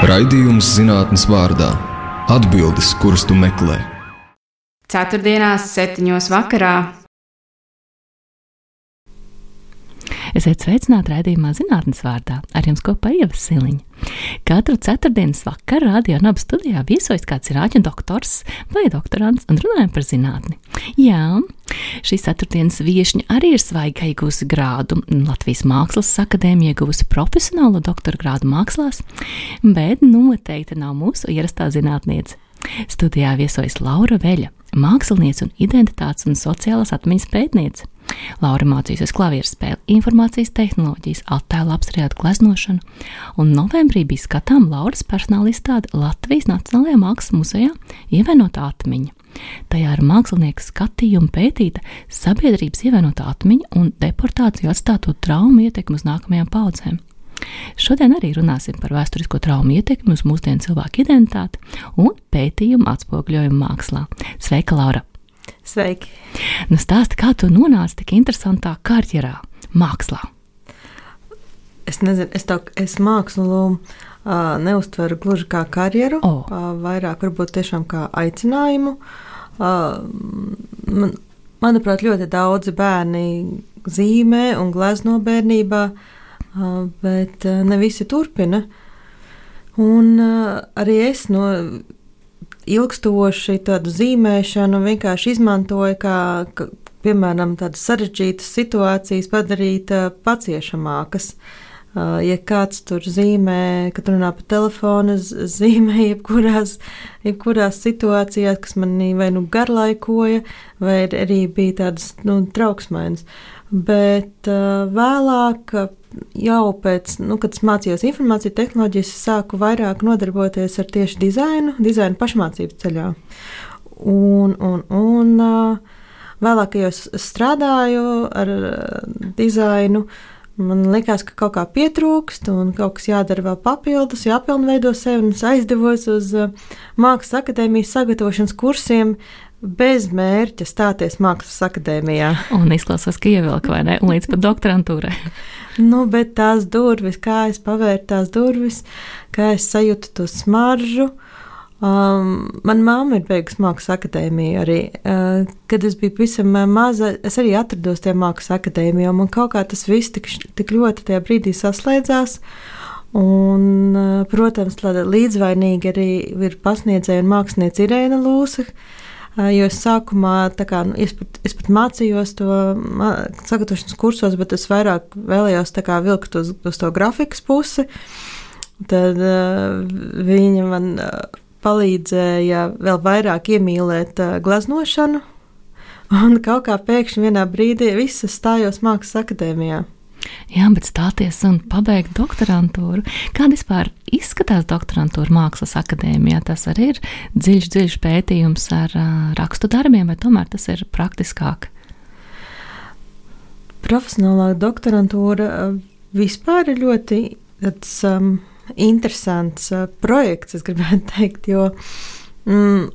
Raidījums zinātnes vārdā – atbildes, kuras tu meklē. Ceturtdienās 7:00 vakarā. Esiet sveicināti raidījumā zinātnes vārdā, ar jums kopā Ieva Siliņa. Katru ceturtdienas vakaru Radio Naba studijā viesojas kāds rāķu doktors vai doktorants un runājam par zinātni. Jā, šīs ceturtdienas viešņa arī ir svaigi, ka iegūsi grādu Latvijas Mākslas akadēmija, iegūsi profesionālo doktora grādu mākslās, bet noteikti nav mūsu ierastā zinātniece. Studijā viesojas Laura Veļa, māksliniece un identitātes un sociālās atmiņas pētniece. Laura mācījusies klavieru spēli, informācijas tehnoloģijas, attēlu apstrādātu gleznošanu, un novembrī bija skatām Lauras personāla izstāde Latvijas Nacionālajā Mākslas muzejā Ievainotā atmiņa. Tajā ar mākslinieku skatījumu pētīta sabiedrības ievainotā atmiņa un deportāciju atstāto traumu ietekmi uz nākamajām paudzēm. Šodien arī runāsim par vēsturisko traumu ietekmi uz mūsdienu cilvēku identitāti un pētījumu atspoguļojumu mākslā. Sveika, Laura! Sveiki! Nu stāsti, kā tu nonāci tik interesantā karjerā, mākslā? Es nezinu, es mākslu neuztveru gluži kā karjeru, vairāk varbūt tiešām kā aicinājumu. Manuprāt, ļoti daudzi bērni zīmē un glezno bērnībā, bet ne visi turpina. Un arī es ilgstoši tādu zīmēšanu vienkārši izmantoju, kā piemēram, tādas sarežģītas situācijas padarīt paciešamākas. Ja kāds tur zīmē, kad runā pa telefonu, zīmē jebkurās situācijās, kas manī vai garlaikoja, vai arī bija tādas trauksmainas. Bet vēlāk, jau pēc, kad es mācījos informāciju tehnoloģijas, sāku vairāk nodarboties ar tieši dizainu pašmācības ceļā. Un vēlāk, kad es strādāju ar dizainu, man likās, ka kaut kā pietrūkst un kaut kas jādara vēl papildus, jāpilnveido sevi, un es aizdevos uz Mākslas akadēmijas sagatavošanas kursiem, bez mērķa stāties Mākslas akadēmijā. Un izklausās, ka ievilka, vai ne? Un līdz pat doktorantūrai. Bet tās durvis, kā es pavēru tās durvis, kā es sajūtu to smaržu. Man mamma ir beigusi Mākslas akadēmiju arī. Kad es biju pavisam maza, es arī atrados tajā Mākslas akadēmijā, un man kaut kā tas viss tik ļoti tajā brīdī saslēdzās. Un, protams, līdzvainīgi arī ir pasniedzēja un māksliniece Irēna Lūsa, jo es sākumā, es pat mācījos to sagatavošanas kursos, bet es vairāk vēlējos vilkt uz to grafikas pusi. Tad viņa man palīdzēja vēl vairāk iemīlēt gleznošanu, un kaut kā pēkšņi vienā brīdī viss stājos Mākslas akadēmijā. Jā, bet stāties un pabeigt doktorantūru. Kāda vispār izskatās doktorantūra Mākslas akadēmijā? Tas arī ir dziļš pētījums ar rakstu darbiem, vai tomēr tas ir praktiskāk? Profesionālā doktorantūra vispār ir ļoti interesants projekts, es gribētu teikt, jo,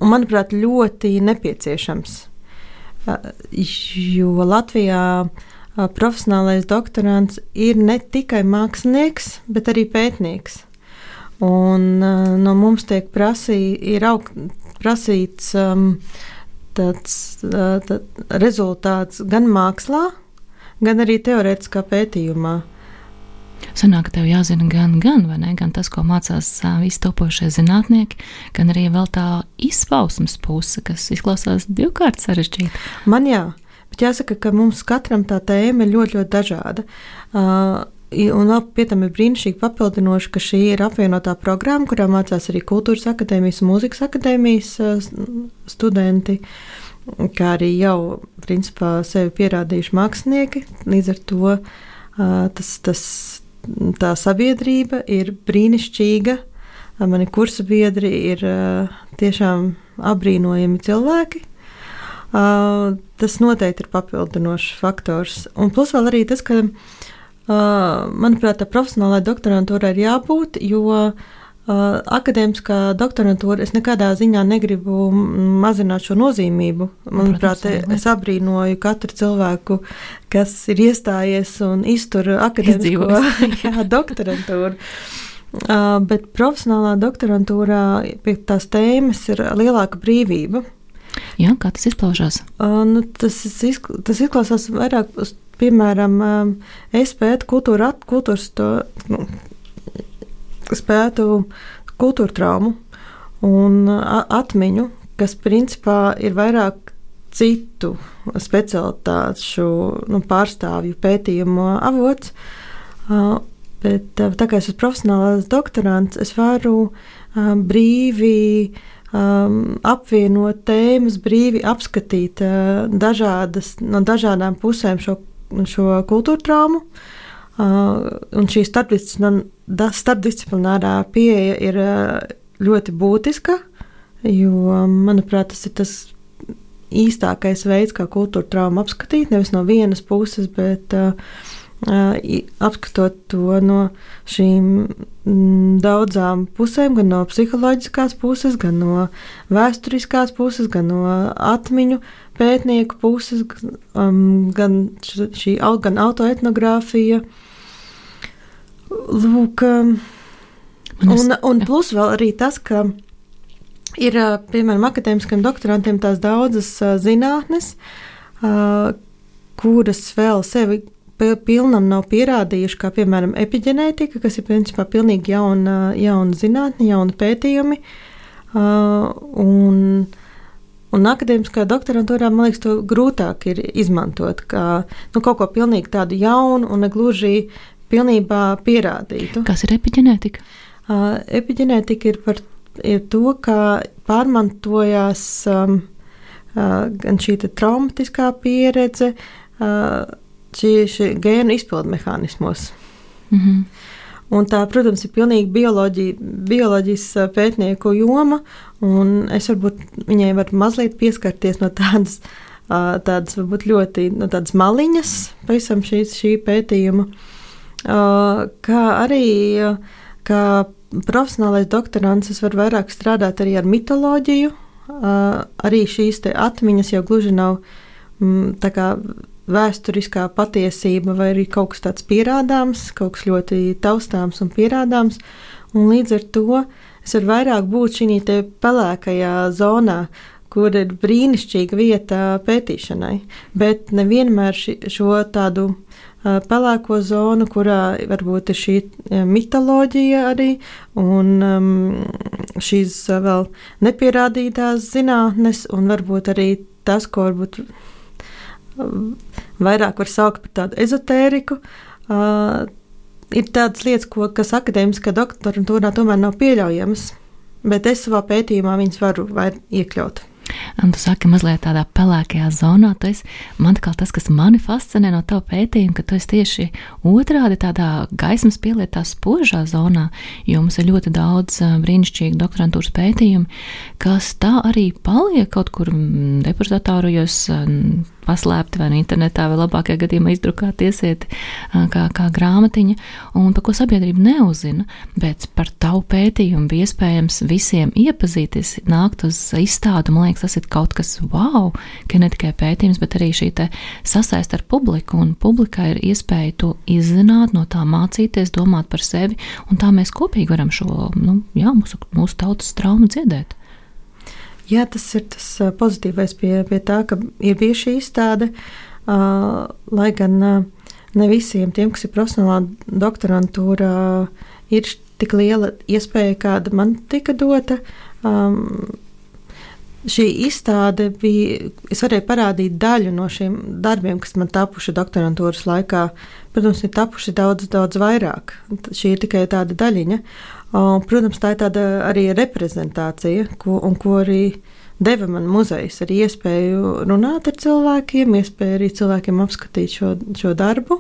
manuprāt, ļoti nepieciešams. Jo Latvijā profesionālais doktorants ir ne tikai mākslinieks, bet arī pētnieks. Un no mums tiek prasīts tāds rezultāts gan mākslā, gan arī teorētiskā pētījumā. Sanāk, ka tev jāzina gan, vai ne? Gan tas, ko mācās visi topošie zinātnieki, gan arī vēl tā izpausmes puse, kas izklausās divkārt sarežģīta. Man jā. Bet jāsaka, ka mums katram tā tēma ir ļoti, ļoti dažāda. Un vēl pie tam ir brīnišķīgi papildinoši, ka šī ir apvienotā programma, kurā mācās arī kultūras akadēmijas un mūzikas akadēmijas studenti, kā arī jau, principā, sevi pierādījuši mākslinieki. Līdz ar to tā sabiedrība ir brīnišķīga. Mani kursa biedri ir tiešām apbrīnojami cilvēki. Tas noteikti ir papildinošs faktors. Un plus vēl arī tas, ka, manuprāt, tā profesionālā doktorantūra ir jābūt, jo akadēmiskā doktorantūra es nekādā ziņā negribu mazināt šo nozīmību. Manuprāt, es abrīnoju katru cilvēku, kas ir iestājies un iztur akadēmisko doktorantūru. Bet profesionālā doktorantūrā pie tās tēmas ir lielāka brīvība. Jā, kā tas izpaužās? Tas izklausās vairāk, piemēram, es pētu kultūra traumu un atmiņu, kas principā ir vairāk citu specialitāšu pārstāvju pētījumu avots. Bet tā kā es esmu profesionālās doktorants, es varu brīvi apvienot tēmas, brīvi apskatīt no dažādām pusēm šo kultūra traumu. Un šī starpdisciplinārā pieeja ir ļoti būtiska, jo, manuprāt, tas ir tas īstākais veids, kā kultūra traumu apskatīt, nevis no vienas puses, bet apskatot to no šīm daudzām pusēm, gan no psiholoģiskās puses, gan no vēsturiskās puses, gan no atmiņu pētnieku puses, gan autoetnogrāfija. Lūk, un plus vēl arī tas, ka ir, piemēram, akadēmiskiem doktorantiem tās daudzas zinātnes, kuras vēl sevi pilnam nav pierādījuši, kā, piemēram, epiģenētika, kas ir, principā, pilnīgi jauna zinātne, jauna pētījumi. Un akadēmiskā doktorantūrā, man liekas, to grūtāk ir izmantot, kā kaut ko pilnīgi tādu jaunu un negluži pilnībā pierādītu. Kas ir epiģenētika? Epiģenētika ir to, kā pārmantojās gan šī traumatiskā pieredze, šī gēnu izpildu mehānismos. Mm-hmm. Un tā, protams, ir pilnīgi bioloģijas pētnieku joma, un es varbūt viņai varu mazliet pieskarties no tādas varbūt ļoti tādas maliņas, pavisam šī pētījuma, kā arī kā profesionālais doktorants es varu vairāk strādāt arī ar mitoloģiju, arī šīs te atmiņas jau gluži nav tā kā vēsturiskā patiesība vai arī kaut kas tāds pierādāms, kaut kas ļoti taustāms un pierādāms, un līdz ar to es varu vairāk būt šī te pelēkajā zonā, kur ir brīnišķīga vieta pētīšanai, bet nevienmēr šo tādu pelēko zonu, kurā varbūt ir šī mitoloģija arī un šīs vēl nepierādītās zinātnes un varbūt arī tas, ko varbūt vairāk var saukt par tādu ezotēriku, ir tādas lietas, kas akadēmiskā doktorantūrā tomēr nav pieļaujamas, bet es savā pētījumā viņas varu iekļaut. Un tu saki, mazliet tādā pelēkajā zonā, man kā tas, kas mani fascinē no tava pētījuma, ka tu esi tieši otrādi tādā gaismas pielietā spožā zonā, jo mums ir ļoti daudz brīnišķīgi doktorantūras pētījumi, kas tā arī paliek kaut kur depozitorijos paslēpti vai internetā, vai labākajā gadījumā izdrukāt iesiet kā grāmatiņa, un par ko sabiedrība neuzina, bet par tavu pētījumu bija iespējams visiem iepazīties, nākt uz izstādu, man liekas, tas ir kaut kas wow, ka ne tikai pētījums, bet arī šī te sasaist ar publiku, un publikai ir iespēja to izzināt, no tā mācīties, domāt par sevi, un tā mēs kopīgi varam šo, mūsu tautas traumu dziedēt. Jā, tas ir tas pozitīvais pie tā, ka ir bijusi šī izstāde, lai gan ne visiem tiem, kas ir profesionālā doktorantūrā, ir tik liela iespēja, kāda man tika dota. Šī izstāde es varēju parādīt daļu no šiem darbiem, kas man tapuši doktorantūras laikā. Protams, ir tapuši daudz vairāk. Šī ir tikai tāda daļiņa. Protams, tā ir tāda arī reprezentācija, ko arī deva man muzejs, arī iespēju runāt ar cilvēkiem, iespēju arī cilvēkiem apskatīt šo darbu.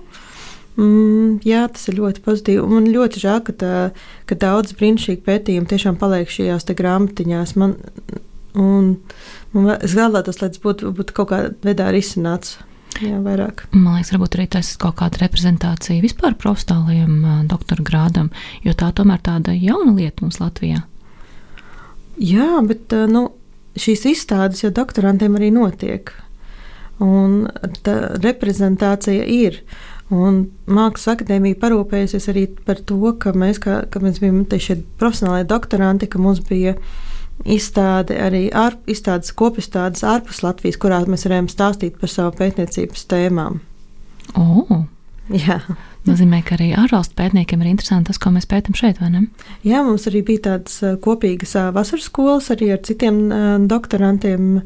Jā, tas ir ļoti pozitīvi. Man ļoti žēl, ka daudz brīnišķīgi pētījumi tiešām paliek šajās te grāmatiņās. Es vēlētos, lai tas būtu kaut kādā veidā risināts. Jā, vairāk. Man liekas, varbūt arī tas ir kaut kāda reprezentācija vispār profesionālajiem doktora grādam, jo tā tomēr tāda jauna lieta mums Latvijā. Jā, bet šīs izstādes jau doktorantiem arī notiek. Un tā reprezentācija ir. Un Mākslas akadēmija parūpējusies arī par to, ka mēs bijām šie profesionālie doktoranti, ka mums bija izstāde arī kopizstādes ārpus Latvijas, kurā mēs varējām stāstīt par savu pētniecības tēmām. Jā. Nozīmē, ka arī ārvalstu pētniekiem ir interesanti tas, ko mēs pētam šeit, vai ne? Jā, mums arī bija tādas kopīgas vasaras skolas arī ar citiem doktorantiem,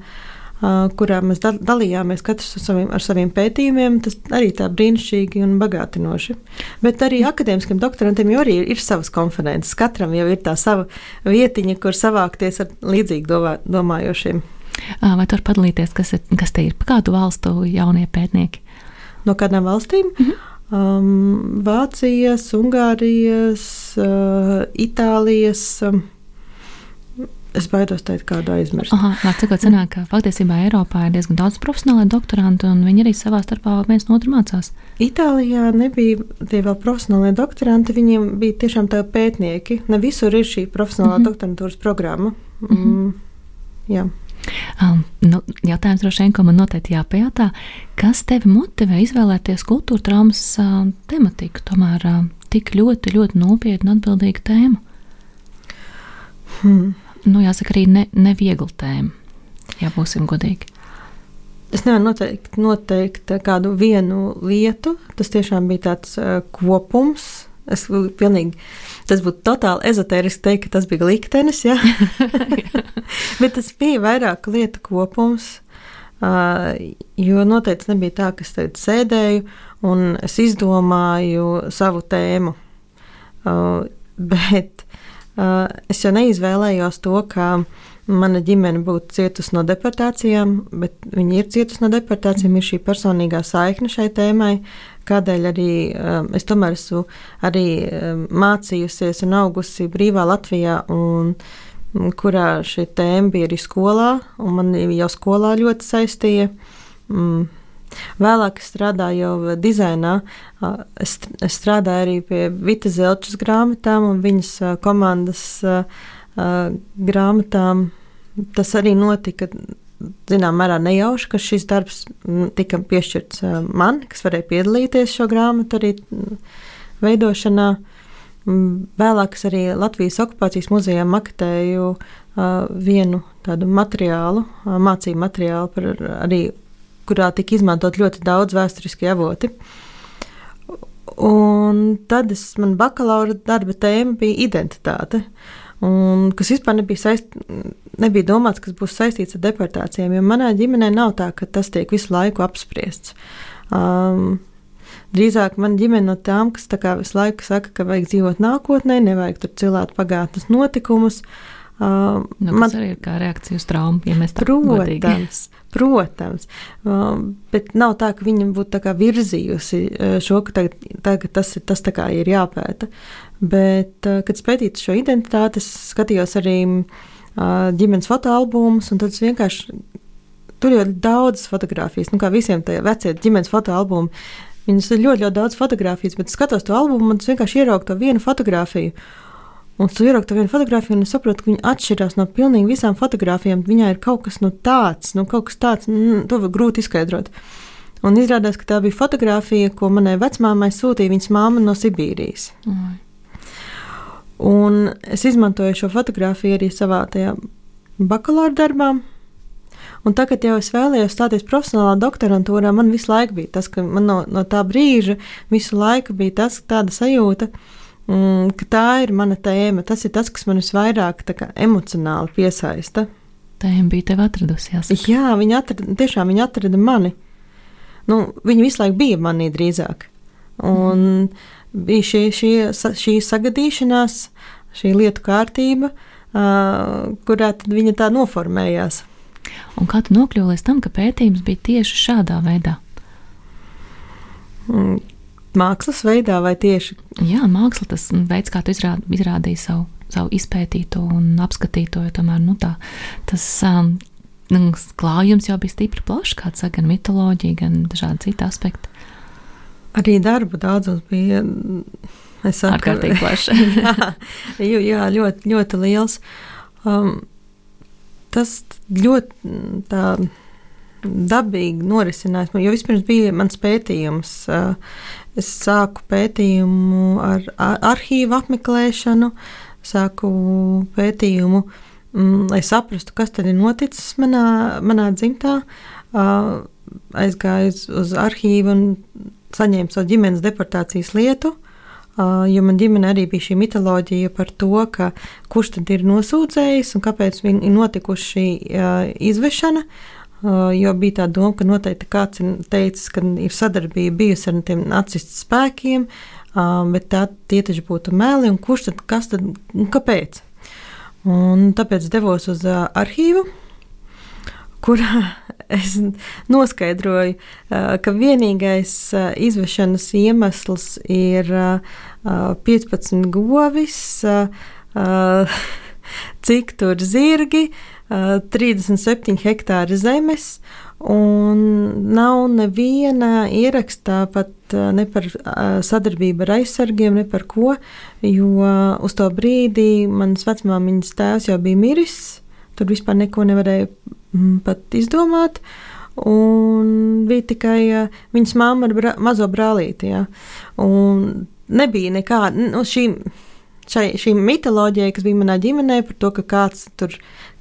kurā mēs dalījāmies katrs ar saviem pētījumiem. Tas arī tā brīnišķīgi un bagātinoši. Bet arī akadēmiskiem doktorantiem jau arī ir savas konferences. Katram jau ir tā sava vietiņa, kur savākties ar līdzīgi domājošiem. Vai tu vari padalīties, kas te ir pa kādu valstu jaunie pētnieki? No kādām valstīm? Vācijas, Ungārijas, Itālijas. Es baidos teikt, kādu aizmirst. Var cikot sanāk, ka faktiesībā Eiropā ir diezgan daudz profesionālai doktorantu, un viņi arī savā starpā viens no otru mācās. Itālijā nebija tie vēl profesionālie doktoranti, viņiem bija tiešām tā pētnieki. Ne visur ir šī profesionālā doktorantūras programma. Jā. Jautājums droši vien, ko man noteikti jāpajautā, kas tevi motivē izvēlēties kultūra traumas tematiku, tomēr tik ļoti, ļoti nopietnu atbildīgu tēmu? Jāsaka arī neviegla tēma, ja būsim godīgi. Es nevaru noteikt kādu vienu lietu, tas tiešām bija tāds kopums. Tas būtu totāli ezotēriski teikt, ka tas bija liktenis, jā. Bet tas bija vairāk lietu kopums, jo noteikti nebija tā, ka es tagad sēdēju un es izdomāju savu tēmu. Bet es jau neizvēlējos to, ka mana ģimene būtu cietusi no deportācijām, bet viņi ir cietusi no deportācijām, ir šī personīgā saikne šai tēmai, kādēļ arī es tomēr esmu arī mācījusies un augusi brīvā Latvijā, un kurā šī tēma bija arī skolā, un man jau skolā ļoti saistīja. Vēlāk es strādāju jau dizainā. Es strādāju arī pie Vita Zelčas grāmatām un viņas komandas grāmatām. Tas arī notika, zinām, mērā nejauši, ka šis darbs tika piešķirts man, kas varēja piedalīties šo grāmatu arī veidošanā. Vēlāk es arī Latvijas okupācijas muzejā maketēju vienu tādu materiālu, mācību materiālu par arī, kurā tika izmantot ļoti daudz vēsturiskie avoti. Un tad man bakalaura darba tēma bija identitāte, un kas vispār nebija domāts, kas būs saistīts ar deportācijām, jo manā ģimenē nav tā, ka tas tiek visu laiku apspriests. Drīzāk man ģimene no tām, kas tā kā visu laiku saka, ka vajag dzīvot nākotnē, nevajag tur cilāt pagātnes notikumus. Tas arī ir kā reakcija uz traumu, ja mēs tā godīgi. Protams, bet nav tā, ka viņa būtu tā kā virzījusi šo, ka tagad tas tā kā ir jāpēta. Bet, kad pētītu šo identitāti, es skatījos arī ģimenes fotoalbumus, un tad es vienkārši, tur jau daudz fotogrāfijas, kā visiem tie vecie ģimenes fotoalbumi, viņas ir ļoti, ļoti daudz fotogrāfijas, bet skatos to albumu, un es vienkārši ieraugu to vienu fotogrāfiju. Un tu ieraugi to vienu fotogrāfiju, un es saprotu, ka viņa atšķirās no pilnīgi visām fotogrāfijām. Viņā ir kaut kas tāds, to var grūti izskaidrot. Un izrādās, ka tā bija fotogrāfija, ko manai vecmāmai sūtīja viņas māma no Sibīrijas. Un es izmantoju šo fotogrāfiju arī savā tajā bakalaura darbā. Un tagad jau es vēlējos stāties profesionālā doktorantūrā, man visu laiku bija tas, ka man no tā brīža visu laiku bija tāda sajūta, ka tā ir mana tēma, tas ir tas, kas man visvairāk emocionāli piesaista. Tēma bija tev atradusi, jāsaka. Jā, viņa atrada mani. Viņa visu laiku bija manī drīzāk. Un bija šī sagadīšanās, šī lietu kārtība, kurā tad viņa tā noformējās. Un kā tu nokļuvi līdz tam, ka pētījums bija tieši šādā veidā? Mākslas veidā vai tieši? Jā, māksla, tas veids, kā tu izrādīji savu izpētīto un apskatīto, jo tomēr, tas klājums jau bija stipri plašs, kāds saka, gan mitoloģija, gan dažādi citi aspekti. Arī darba daudzums bija, ārkārtīgi plašs. jā, ļoti, ļoti liels. Tas ļoti tā dabīgi norisinājās, jo vispirms bija mans pētījums. es sāku pētījumu ar arhīvu apmeklēšanu, sāku pētījumu, lai saprastu, kas tad ir noticis manā dzimtā. Aizgāju uz arhīvu un saņēmu savu ģimenes deportācijas lietu, jo man ģimene arī bija šī mitoloģija par to, ka kurš tad ir nosūdzējis un kāpēc ir notikuši šī izvešana, jo bija tā doma, ka noteikti kāds ir teicis, ka ir sadarbība bijusi ar tiem nacistu spēkiem, bet tie taču būtu meli, un kurš tad, kas tad, un kāpēc? Un tāpēc devos uz arhīvu, kurā es noskaidroju, ka vienīgais izvešanas iemesls ir 15 govis, cik tur zirgi, 37 hektāri zemes, un nav neviena ierakstā pat ne par sadarbību ar aizsargiem, ne par ko, jo uz to brīdī manas vecmāmiņas tēvs jau bija miris, tur vispār neko nevarēja pat izdomāt, un bija tikai viņas mamma ar mazo brālīti, ja. Un nebija nekāda, šī mitoloģija, kas bija manā ģimenē par to, ka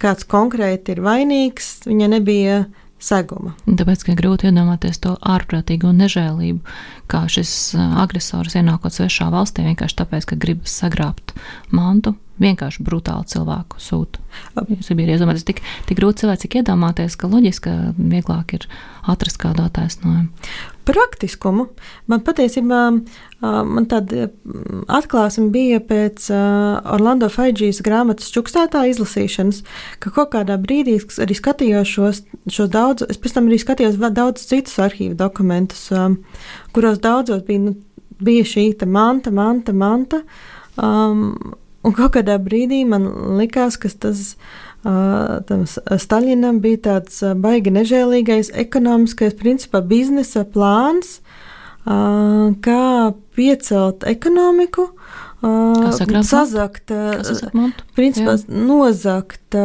kāds konkrēti ir vainīgs, viņa nebija seguma. Tāpēc, ka grūti iedomāties to ārprātīgo nežēlību, kā šis agresors ienākot svešā valstī, vienkārši tāpēc, ka gribas sagrābt mantu, vienkārši brutāli cilvēku sūta. Jūs bija iedomāties tik grūti cilvēki, cik iedomāties, ka loģiski, ka vieglāk ir atrast kādu attaisnojumu. Praktiskumu. Man patiesībā, man tāda atklāsme bija pēc Orlando Faidžijas grāmatas Čukstētā izlasīšanas, ka kaut kādā brīdī arī skatījos šos daudz, es pēc tam arī skatījos daudz citus arhīvu dokumentus, kuros daudzos bija šī manta, un kaut kādā brīdī man likās, ka tam Staļinam bija tāds baigi nežēlīgais ekonomiskais, principā biznesa plāns, kā piecelt ekonomiku, sazakt, principā nozakt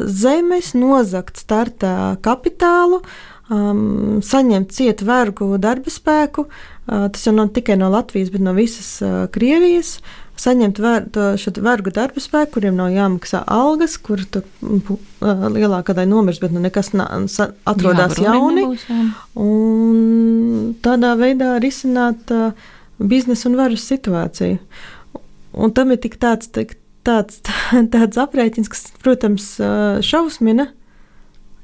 zemes, nozakt startā kapitālu, saņemt ciet vergu darba spēku, tas jau nav tikai no Latvijas, bet no visas Krievijas, saņemt šo vergu darba spēku, kuriem nav jāmaksā algas, kur lielākā daļa nomirst, bet nekas atrodas jauni. Un tādā veidā risināt biznesa un varas situāciju. Un tam ir tik tāds aprēķins, kas, protams, šausmina.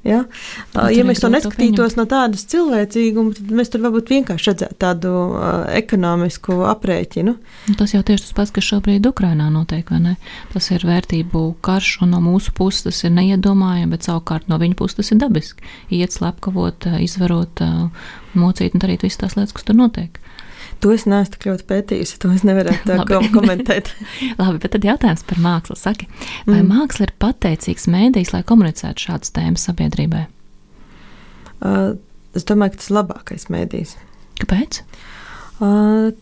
Ja? Ja mēs to neskatītos no tādas cilvēcīguma, tad mēs tur varbūt vienkārši redzētu tādu ekonomisku aprēķinu. Tas jau tieši tas pats, kas šobrīd Ukrainā notiek, vai ne? Tas ir vērtību karš, un no mūsu puses tas ir neiedomājami, bet savukārt no viņa puses tas ir dabiski. Iet, slepkavot, izvarot, mocīt un darīt visas tās lietas, kas tur notiek. To es neesmu tik ļoti pētījusi, to es nevarētu tā komentēt. Labi, bet tad jautājums par mākslu. Saki, vai māksla ir pateicīgs mēdījis, lai komunicētu šādas tēmas sabiedrībai? Es domāju, ka tas ir labākais mēdījis. Kāpēc?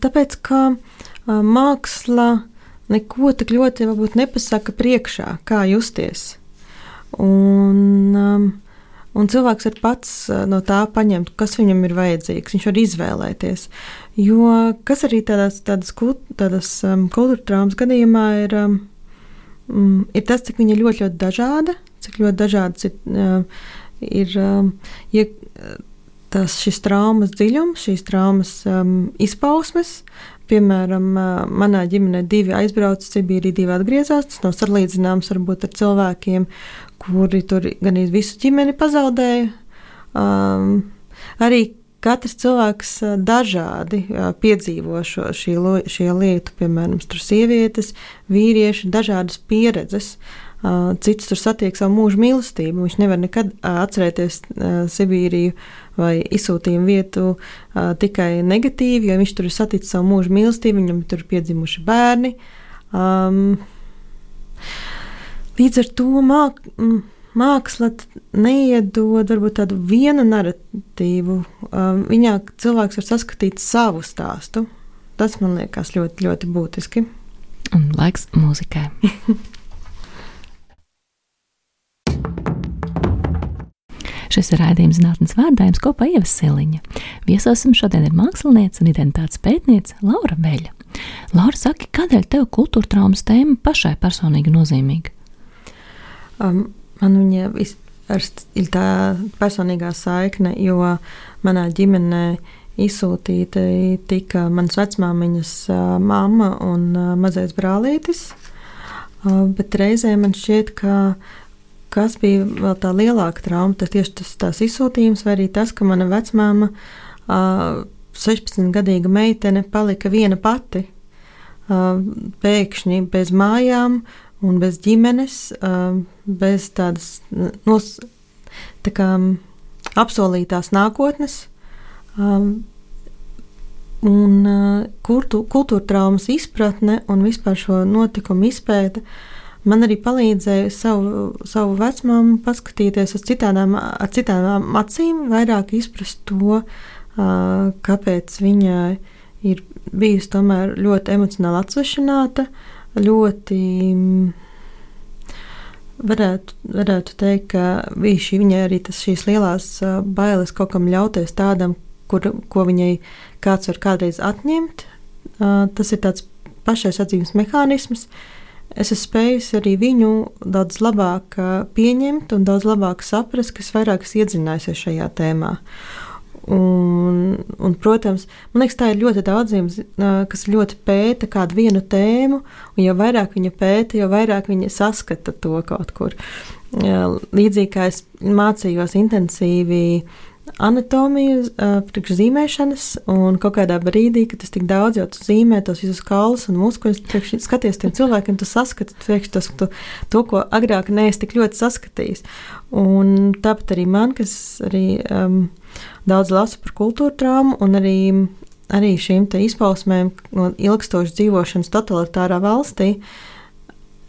Tāpēc, ka māksla neko tik ļoti varbūt nepasaka priekšā, kā justies. Un cilvēks ir pats no tā paņemt, kas viņam ir vajadzīgs. Viņš var izvēlēties. Jo kas arī tādas kultūra traumas gadījumā ir tas, cik viņa ir ļoti, ļoti dažāda, cik ļoti dažādas ir šis traumas dziļums, šīs traumas izpausmes. Piemēram, manā ģimenē 2 aizbrauca Sibīriju, 2 atgriezās. Tas nav salīdzināms varbūt ar cilvēkiem, kuri tur gan visu ģimeni pazaudēja. Arī katrs cilvēks dažādi piedzīvo šie lietu, piemēram, tur sievietes, vīrieši, dažādas pieredzes. Cits tur satiek savu mūžu mīlestību. Viņš nevar nekad atcerēties Sibīriju vai izsūtījumu vietu tikai negatīvi, jo viņš tur ir saticis savu mūžu mīlestību, viņam tur ir piedzimuši bērni. Līdz ar to māksla neiedod varbūt tādu vienu naratīvu. Viņā cilvēks var saskatīt savu stāstu. Tas man liekas ļoti, ļoti būtiski. Un laiks mūzikai. Šis ir raidījums Zinātnes vārdā, jums kopā Ieva Siliņa. Viesosim šodien ir māksliniece un identitātes pētniece Laura Veļa. Laura, saki, kādēļ tev kultūra traumas tēma pašai personīgi nozīmīga? Man viņa ir tā personīgā saikne, jo manā ģimenē izsūtīta tika manas vecmāmiņas mamma un mazais brālītis, bet reizē man šķiet, ka kas bija vēl tā lielāka trauma, tas tieši tās izsūtījums, vai arī tas, ka mana vecmāma 16-gadīga meitene palika viena pati, pēkšņi bez mājām un bez ģimenes, bez tādas tā kā apsolītās nākotnes. Un kultūra traumas izpratne un vispār šo notikumu izpēta man arī palīdzēja savu vecmāmu paskatīties ar citām acīm, vairāk izprast to, kāpēc viņa ir bijusi tomēr ļoti emocionāli atsvešināta, ļoti varētu teikt, ka viņai arī šīs lielās bailes kaut kam ļauties tādam, ko viņai kāds var kādreiz atņemt. Tas ir tāds pašaizsardzības mehānisms. Es esmu spējusi arī viņu daudz labāk pieņemt un daudz labāk saprast, kas vairāk iedziļinājusies šajā tēmā. Un, protams, man liekas, tā ir ļoti daudziem, kas ļoti pēta kādu vienu tēmu, un jo vairāk viņa pēta, jo vairāk viņa saskata to kaut kur. Līdzīgi kā es mācījos intensīvi anatomiju priekš zīmēšanas, un kaut kādā brīdī, kad tas tik daudz jau tu zīmē tos visus kaulus un muskuļus, skaties tiem cilvēkiem, tu saskati to, ko agrāk neesi tik ļoti saskatījis. Un tāpat arī man, kas arī daudz lasu par kultūra traumu, un arī šīm te izpausmēm no ilgstošas dzīvošanas totalitārā valstī,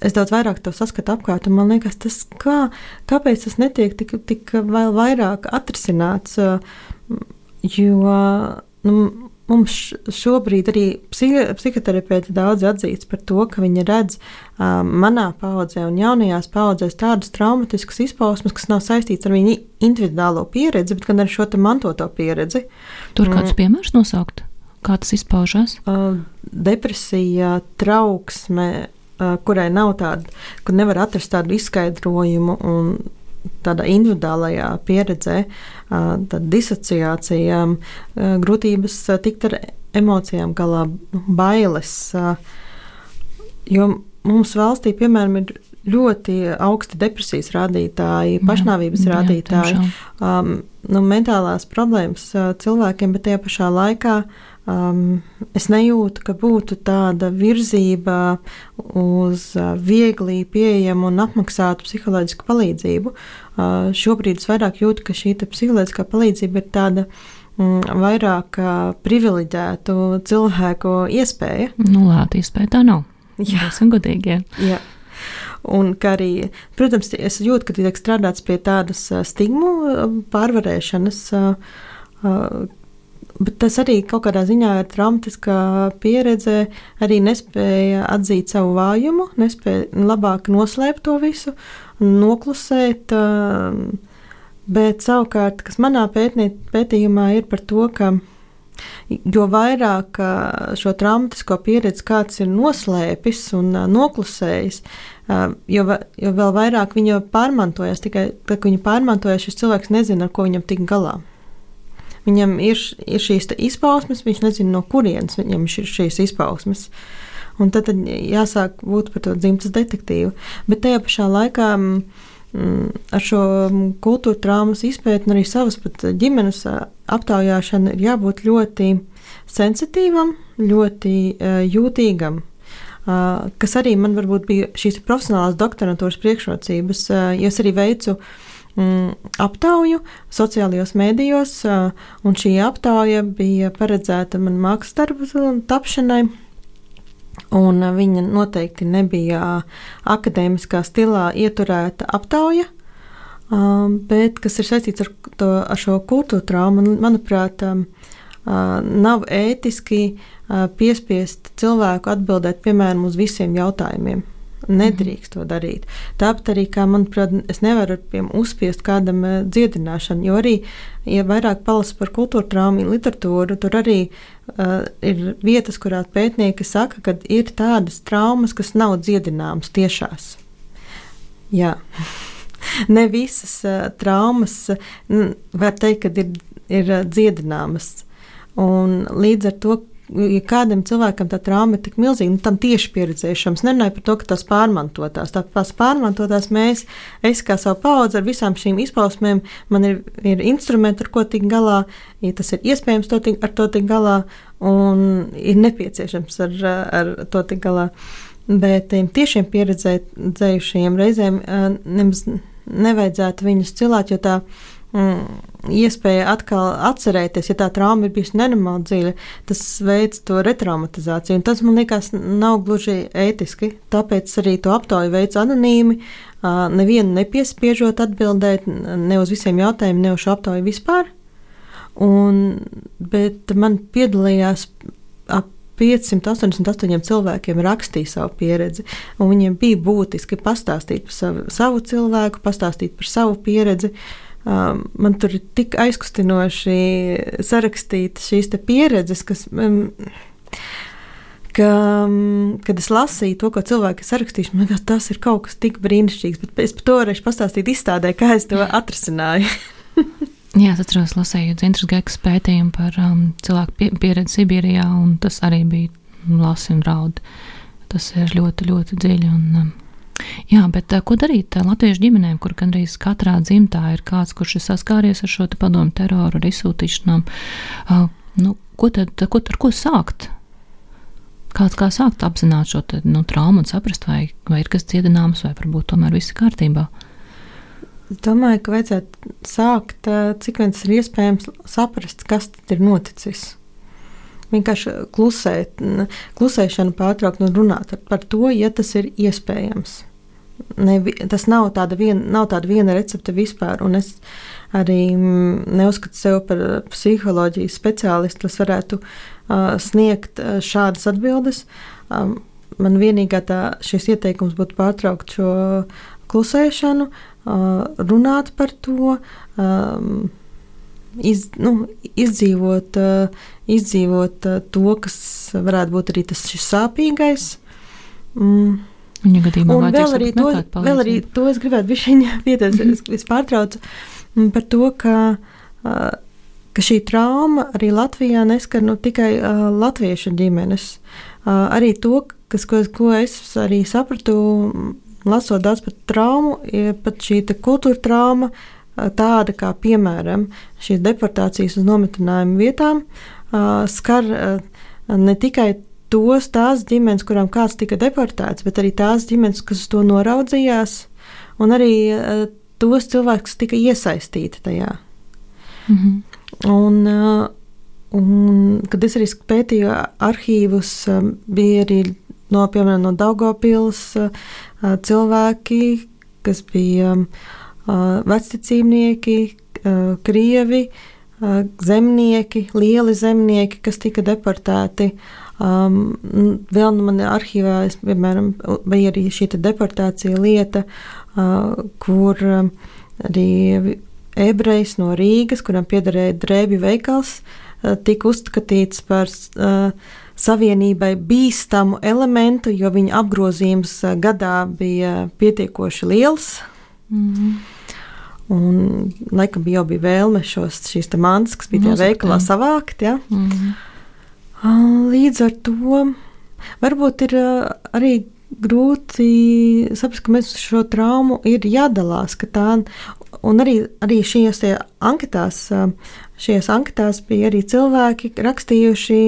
es daudz vairāk to saskatu apkārt, un man liekas, kāpēc tas netiek tik vēl vairāk atrisināts, jo mums šobrīd arī psihoterapeiti daudz atzīst par to, ka viņi redz manā paudzē un jaunajās paudzēs tādas traumatiskas izpausmes, kas nav saistīts ar viņu individuālo pieredzi, bet gan ar šo te mantoto pieredzi. Tur kādus piemērus nosaukt? Kā tas izpaužās? Depresija, trauksme, kurai nav tāda, kur nevar atrast tādu izskaidrojumu, un tādā individuālajā pieredzē, tāda disociācija, grūtības tikt ar emocijām galā, bailes. Jo mums valstī, piemēram, ir ļoti augsti depresijas rādītāji, pašnāvības rādītāji, mentālās problēmas cilvēkiem, bet tajā pašā laikā es nejūtu, ka būtu tāda virzība uz viegli pieejamu un apmaksātu psiholoģisku palīdzību. Šobrīd es vairāk jūtu, ka šī psiholoģiskā palīdzība ir tāda vairāk privileģētu cilvēku iespēja. Lēta iespēja tā nav. Jā. Būsim godīgi. Jā. Un kā arī, protams, es jūtu, ka tiek strādāts pie tādas stigmu pārvarēšanas, bet tas arī kaut kādā ziņā ir traumatiskā pieredze, arī nespēja atzīt savu vājumu, nespēja labāk noslēpt to visu, noklusēt, bet savukārt, kas manā pētījumā ir par to, ka jo vairāk šo traumatisko pieredzi kāds ir noslēpis un noklusējis, jo vēl vairāk viņa pārmantojas, tikai tad, kad viņa pārmantojas, šis cilvēks nezina, ar ko viņam tik galā. Viņam ir šīs izpausmes, viņš nezina, no kurienes viņam ir šīs izpausmes. Un tad jāsāk būt par to dzimtas detektīvu. Bet tajā pašā laikā ar šo kultūra traumas izpēti un arī savas pat ģimenes aptaujāšanu ir jābūt ļoti sensitīvam, ļoti jūtīgam, kas arī man varbūt bija šīs profesionālās doktorantūras priekšrocības, jo es arī veicu aptauju sociālajos mēdījos, un šī aptauja bija paredzēta man mākslas darbu tapšanai, un viņa noteikti nebija akadēmiskā stilā ieturēta aptauja, bet kas ir saistīts ar šo kultūra traumu, manuprāt, nav ētiski piespiest cilvēku atbildēt, piemēram, uz visiem jautājumiem. Nedrīkst to darīt. Tāpat arī, kā manuprāt, es nevaru uzspiest kādam dziedināšanu, jo arī, ja vairāk palasa par kultūra traumu literatūru, tur arī ir vietas, kurā pētnieki saka, ka ir tādas traumas, kas nav dziedināmas tiešās. Jā. Ne visas traumas var teikt, ka ir dziedināmas. Un līdz ar to, ja kādam cilvēkam tā trauma ir tik milzīga, tam tieši pieredzējušams, nerunāju par to, ka tās pārmantotās. Tās pārmantotās es kā savu paudzi ar visām šīm izpausmēm, man ir instrumenti, ar ko tik galā, ja tas ir iespējams ar to tik galā, un ir nepieciešams ar to tik galā. Bet tiešiem pieredzējušajiem reizēm nemaz nevajadzētu viņus cilāt, jo tā iespēja atkal atcerēties, ja tā trauma ir bijusi nenormāli dziļa, tas veids to retraumatizāciju, un tas, man liekas, nav gluži ētiski, tāpēc arī to aptauju veids anonīmi, nevienu nepiespiežot atbildēt ne uz visiem jautājumiem, ne uz šo aptauju vispār, bet man piedalījās ap 588 cilvēkiem rakstīja savu pieredzi, un viņiem bija būtiski pastāstīt par savu cilvēku, pastāstīt par savu pieredzi. Man tur ir tik aizkustinoši sarakstīt šīs te pieredzes, kad es lasīju to, ko cilvēki sarakstījuši, man liekas, tas ir kaut kas tik brīnišķīgs, bet es par to varēšu pastāstīt izstādē, kā es to atrisināju. Jā, es atceros, lasēju Dzintras Gekas pētījumu par cilvēku pieredzi Sibīrijā, un tas arī bija lasi un raud. Tas ir ļoti, ļoti dziļi. Jā, bet ko darīt latviešu ģimenēm, kur gandrīz katrā dzimtā ir kāds, kurš ir saskāries ar šo padomu teroru, ar izsūtīšanām? Ar ko sākt? Kā sākt apzināt šo traumu un saprast, vai ir kas dziedināms, vai varbūt tomēr viss ir kārtībā? Es domāju, ka vajadzētu sākt, cik vien tas ir iespējams, saprast, kas tad ir noticis. Vienkārši klusēšanu pārtraukt un runāt par to, ja tas ir iespējams. Tas nav tāda viena recepte vispār, un es arī neuzskatu sev par psiholoģijas speciālistu, kas varētu sniegt šādas atbildes. Man vienīgā šis ieteikums būtu pārtraukt šo klusēšanu, runāt par to, izdzīvot to, kas varētu būt arī tas šis sāpīgais. Un vēl arī to es gribētu bišķiņ pieteicēt, es pārtraucu par to, ka šī trauma arī Latvijā neskar tikai latviešu ģimenes. Arī to, ko es arī sapratu, lasot daudz par traumu, pat šī kultūra trauma, tāda kā, piemēram, šīs deportācijas uz nometinājumu vietām, skar ne tikai tās ģimenes, kurām kāds tika deportēts, bet arī tās ģimenes, kas to noraudzījās, un arī tos cilvēkus, kas tika iesaistīti tajā. Un kad es arī pētīju arhīvus, bija arī piemēram, no Daugavpils cilvēki, kas bija vecticībnieki, krievi, zemnieki, lieli zemnieki, kas tika deportēti. Vēl man arhīvā, piemēram, bija arī šī deportācija lieta, kur arī ebrejs no Rīgas, kuram piederēja drēbju veikals, tika uzskatīts par savienībai bīstamu elementu, jo viņa apgrozījums gadā bija pietiekoši liels. Un laikam jau bija vēlme šīs mantas, kas bija tajā veikalā, savākt. Ja? Līdz ar to varbūt ir arī grūti saprast, ka mēs šo traumu ir jādalās, ka tā, un arī šajās anketās bija arī cilvēki rakstījuši,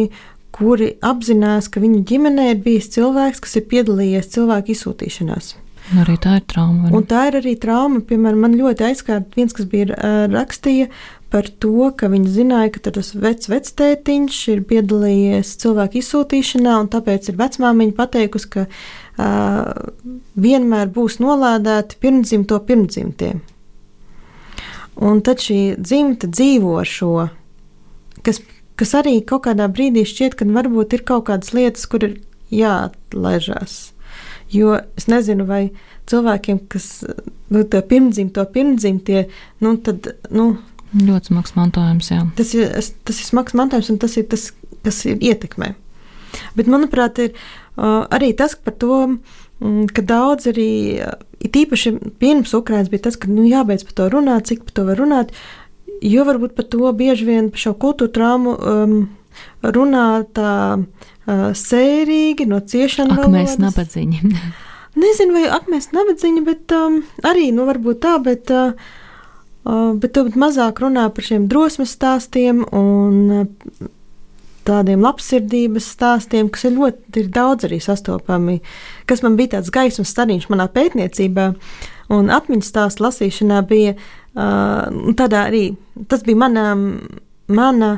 kuri apzinās, ka viņu ģimenē ir bijis cilvēks, kas ir piedalījies cilvēku izsūtīšanās. Un arī tā ir trauma. Un tā ir arī trauma. Piemēram, man ļoti aizskārt viens, kas bija rakstīja par to, ka viņi zināja, ka tas vectētiņš ir piedalījies cilvēku izsūtīšanā, un tāpēc ir vecmāmiņa pateikusi, ka vienmēr būs nolādēti pirmdzimto pirmdzimtie. Un tad šī dzimta dzīvo ar šo, kas arī kaut kādā brīdī šķiet, ka varbūt ir kaut kādas lietas, kur ir jāatlaižās. Jo es nezinu, vai cilvēkiem, kas to pirmdzimtie, tad, ļoti smags mantojums, jā. Tas ir smags mantojums, un tas ir tas, kas ir ietekmē. Bet, manuprāt, ir arī tas par to, ka daudz arī, tīpaši pirms Ukrainas bija tas, ka jābeidz par to runāt, cik par to var runāt, jo varbūt par to bieži vien par šo kultūra traumu runā tā sērīgi, no ciešana valodas. Mēs nabadzīņi. Nezinu, vai mēs nabadzīņi, bet arī, varbūt tā, bet mazāk runā par šiem drosmes stāstiem un tādiem labsirdības stāstiem, kas ir daudz arī sastopami, kas man bija tāds gaismas stariņš manā pētniecībā un atmiņas stāstu lasīšanā bija tādā arī, tas bija mana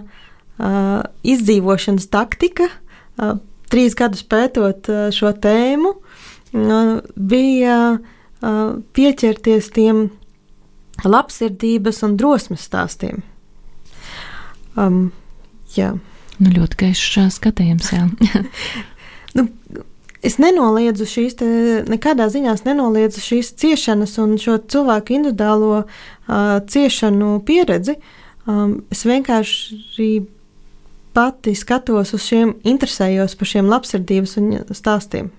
izdzīvošanas taktika, 3 gadus pētot šo tēmu, bija pieķerties tiem labsirdības un drosmes stāstiem. Jā. Ļoti gaišs skatījums, jā. Es nenoliedzu nekādā ziņā nenoliedzu šīs ciešanas un šo cilvēku individuālo ciešanu pieredzi. Es vienkārši pati skatos uz šiem, interesējos par šiem labsirdības un stāstiem.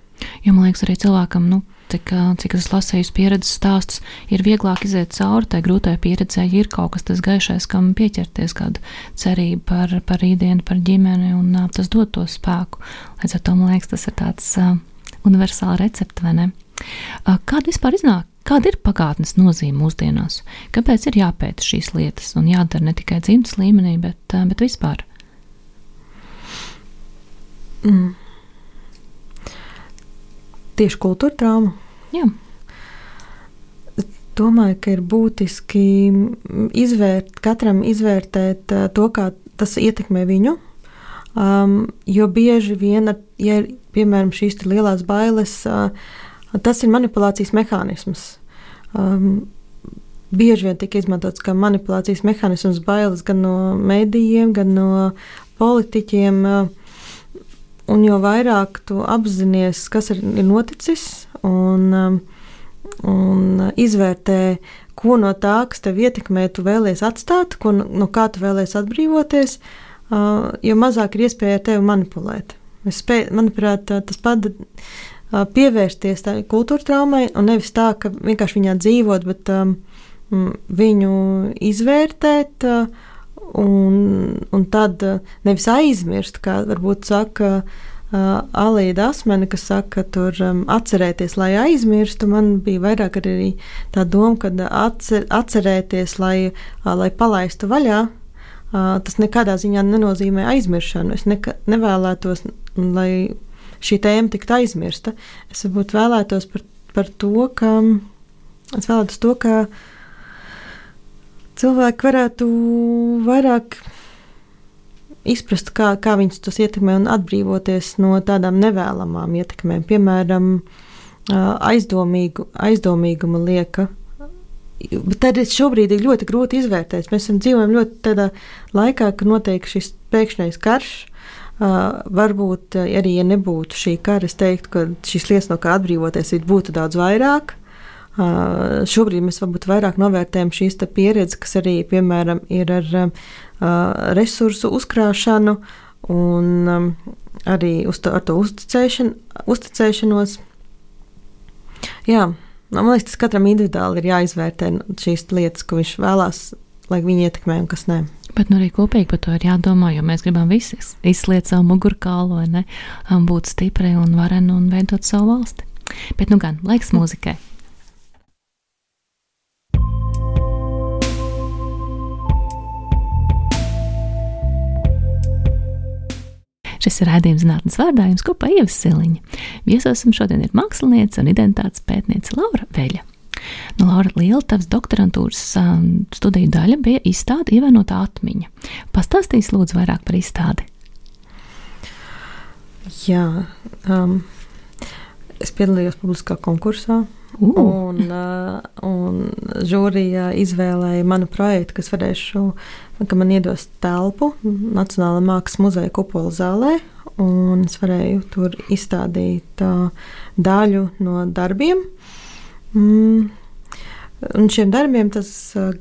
Jo, man liekas, arī cilvēkam, cik es lasēju pieredzes stāstus, ir vieglāk iziet cauri tai grūtai pieredzē, ja ir kaut kas tas gaišais, kam pieķerties, kādu cerību par rītdienu, par ģimeni, un tas dod to spēku. Līdz ar to, man liekas, tas ir tāds universāla recepte, vai ne? Kāda vispār iznāk? Kāda ir pagātnes nozīme mūsdienās? Kāpēc ir jāpēta šīs lietas un jādara ne tikai dzimtas līmenī, bet vispār? Tieši kultūra trauma. Jā. Domāju, ka ir būtiski katram izvērtēt to, kā tas ietekmē viņu, jo bieži vien, ja ir, piemēram, šīs lielās bailes, tas ir manipulācijas mehānisms. Bieži vien tika izmantots kā manipulācijas mehānisms bailes gan no medijiem, gan no politiķiem, un jo vairāk tu apzinies, kas ir noticis, un izvērtē, ko no tā, kas tev ietekmē, tu vēlies atstāt, no kā tu vēlies atbrīvoties, jo mazāk ir iespēja ar tevi manipulēt. Manuprāt, tas pievērsties tā kultūra traumai, un nevis tā, ka vienkārši viņā dzīvot, bet viņu izvērtēt, un tad nevis aizmirst, kā varbūt saka Alīda Asmene, kas saka, tur atcerēties, lai aizmirstu. Man bija vairāk arī tā doma, ka atcerēties, lai palaistu vaļā. Tas nekādā ziņā nenozīmē aizmiršanu. Es nevēlētos, lai šī tēma tiktu aizmirsta. Es varbūt vēlētos par to, ka cilvēki varētu vairāk izprast, kā viņus tas ietekmē un atbrīvoties no tādām nevēlamām ietekmēm. Piemēram, aizdomīguma lieka. Bet tad šobrīd ir ļoti grūti izvērtēt. Mēs dzīvojam ļoti tādā laikā, ka notiek šis pēkšņais karš. Varbūt arī, ja nebūtu šī kara, es teiktu, ka šīs lietas, no kā atbrīvoties, būtu daudz vairāk. Šobrīd mēs varbūt vairāk novērtējam šīs pieredzes, kas arī, piemēram, ir ar resursu uzkrāšanu un arī ar to uzticēšanos. Jā, man liekas, tas katram individuāli ir jāizvērtē šīs lietas, ko viņš vēlās, lai viņi ietekmē un kas nē. Bet arī kopīgi par to ir jādomā, jo mēs gribam visi izsliet savu mugurkaulu, vai ne, būt stipri un vareni un veidot savu valsti. Bet gan, laiks mūzikai. Šis ir raidījums Zinātnes vārdā, jums kopā Ieva Siliņa. Viesosim šodien ir māksliniece un identitātes pētniece Laura Veļa. Laura, liela tavas doktorantūras studiju daļa bija izstāde Ievainotā atmiņa. Pastāstīsi lūdzu vairāk par izstādi. Jā, es piedalījos publiskā konkursā. Un žūrija izvēlēja manu projektu, ka man iedos telpu Nacionālā mākslas muzeja kupola zālē, un es varēju tur izstādīt daļu no darbiem. Un šiem darbiem tas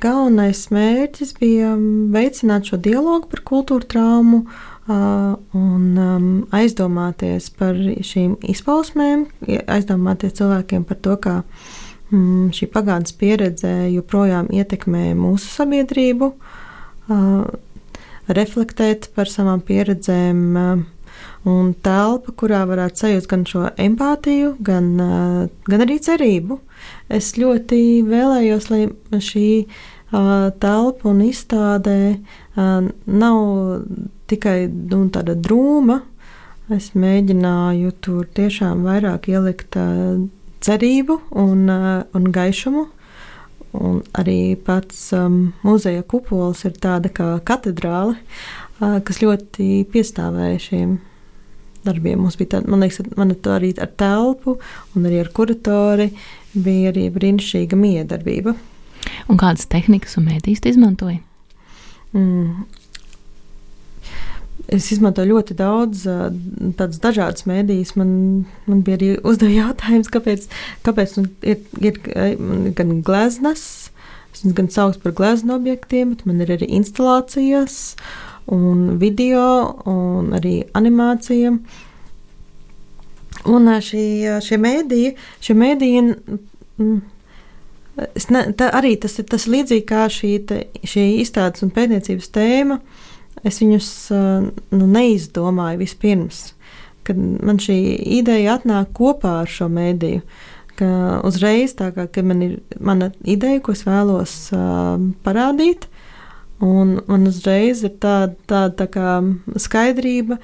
galvenais mērķis bija veicināt šo dialogu par kultūra traumu un aizdomāties par šīm izpausmēm, aizdomāties cilvēkiem par to, kā šī pagātnes pieredze joprojām ietekmē mūsu sabiedrību, reflektēt par savām pieredzēm un telpa, kurā varētu sajust gan šo empātiju, gan arī cerību. Es ļoti vēlējos, lai šī telpa un izstādē nav tikai tāda drūma. Es mēģināju tur tiešām vairāk ielikt cerību un gaišumu. Un arī pats muzeja kupols ir tāda kā katedrāle, kas ļoti piestāvēja šiem darbiem. Mums bija tāda, man liekas, man arī ar telpu un arī ar kuratori bija arī brīnišķīga miedarbība. Un kādas tehnikas un mēdīs tu izmantoji? Es izmantoju ļoti daudz tādas dažādas mēdīs. Man bija arī uzdeva jautājums, kāpēc ir gan gleznas, es viņas gan sauc par gleznu objektiem, bet man ir arī instalācijas un video un arī animācija. Un šie mēdīji arī tas ir līdzīgi kā šī izstādes un pētniecības tēma. Es viņus neizdomāju vispirms, kad man šī ideja atnāk kopā ar šo mēdīju, ka uzreiz tā kā, ka man ir mana ideja, ko es vēlos parādīt, un man uzreiz ir tā kā skaidrība,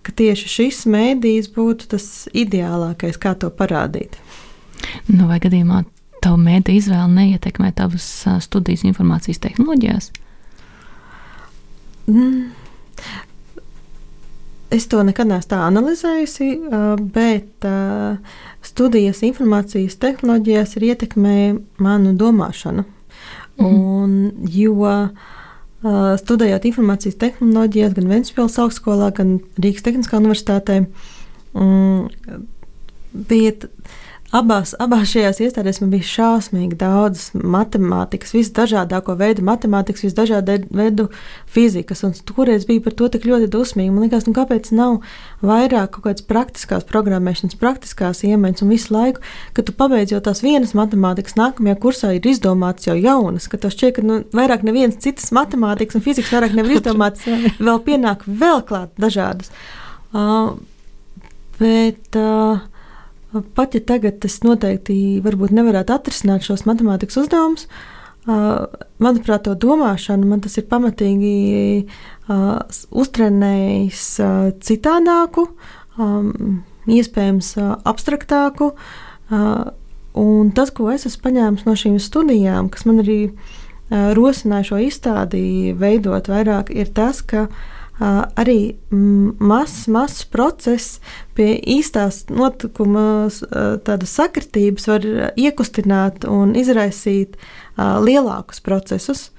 ka tieši šis mēdījis būtu tas ideālākais, kā to parādīt. Vai gadījumā tavu mēdīju izvēle neietekmē tavas studijas informācijas tehnoloģijās? Es to nekad neesmu tā analizējusi, bet studijas informācijas tehnoloģijās ir ietekmē manu domāšanu. Jo studējot informācijas tehnoloģijās gan Ventspils augstskolā, gan Rīgas Tehniskā universitātē, bija abās šajās iestādēs man bija šausmīgi daudz matemātikas, visdažādāko veidu matemātikas, visdažādu veidu fizikas, un toreiz bija par to tik ļoti dusmīgi. Man liekas, kāpēc nav vairāk kaut kādas praktiskās programmēšanas, praktiskās iemaņas, un visu laiku, kad tu pabeidz jau tās vienas matemātikas, nākamajā kursā ir izdomāts jau jaunas, ka tev šķiet, ka vairāk nevienas citas matemātikas un fizikas vairāk nevar izdomāts, vēl pienāk vēl klāt dažādas. Bet pat ja tagad es noteikti varbūt nevarētu atrisināt šos matemātikas uzdevumus, manuprāt, to domāšanu man tas ir pamatīgi uztrenējis citādāku, iespējams abstraktāku, un tas, ko es esmu paņēmis no šīm studijām, kas man arī rosināja šo izstādi veidot vairāk, ir tas, ka arī mazs process pie īstās notikuma tādas sakritības var iekustināt un izraisīt lielākus procesus.